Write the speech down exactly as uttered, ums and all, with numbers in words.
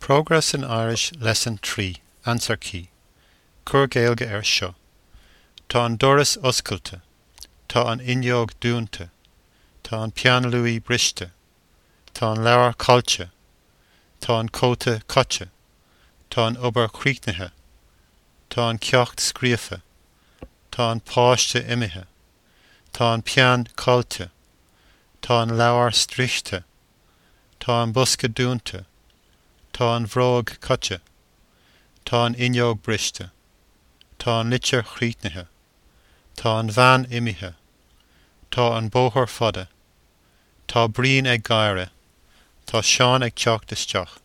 Progress in Irish Lesson three Answer Key Cuir Gaeilge air seo. Tá an doras oscailte. Tá an fhuinneog dúnta. Tá an peann luaidhe briste. Tá an leabhar caillte. Tá an cóta caite. Tá an obair críochnaithe. Tá an ceacht scríofa. Tá an páiste imithe. Tá an peann caillte. Tá an leabhar sroichte. Tá an bosca dúnta. Tá an bhróg caite. Tá an fhuinneog briste. Tá an litir chríochnaithe. Tá an bhean imithe. Tá an bóthar fada. Tá Brian ag gáire. Tá Seán ag teacht isteach.